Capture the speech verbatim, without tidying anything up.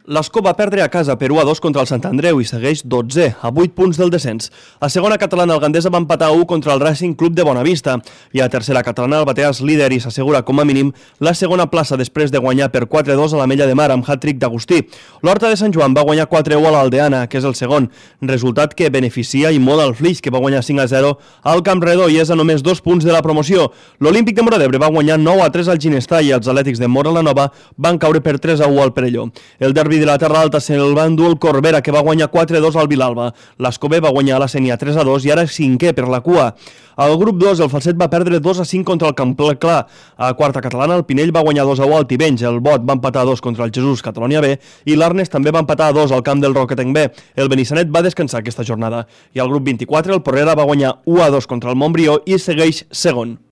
L'Escó va perdre a casa per u a dos contra el Sant Andreu i segueix dotzè, a vuit punts del descens. A segona catalana, el Gandesa va empatar a u contra el Racing Club de Bonavista. I a tercera catalana, el Bateas líder i s'assegura com a mínim la segona plaça després de guanyar per quatre a dos a l'Ametlla de Mar amb hat-trick d'Agustí. L'Horta de Sant Joan va guanyar quatre a u a l'Aldeana, que és el segon, resultat que beneficia i molt al Flix, que va guanyar cinc a zero al Camp Redó i és a només dos punts de la promoció. L'Olímpic de Móra d'Ebre va guanyar nou a tres al Ginestà i els Atlètics de Móra la Nova van caure per tres a u al Perelló. El derbi de la Terra Alta se'l va endur el Corbera, que va guanyar quatre a dos al Vilalba. L'Escobé va guanyar la Sénia tres a dos i ara cinquè per la cua. Al grup dos, el Falset va perdre dos a cinc contra el Campclar. A quarta catalana, el Pinell va guanyar dos a u al Tivenys, el Bot va empatar a dos contra el Jesús Catalonia B i l'Arnes també va empatar a dos al camp del Roquetenc B. El Benissanet va descansar aquesta jornada. I al grup vint-i-quatre, el Porrera va guanyar u a dos contra el Montbrió i segueix segon.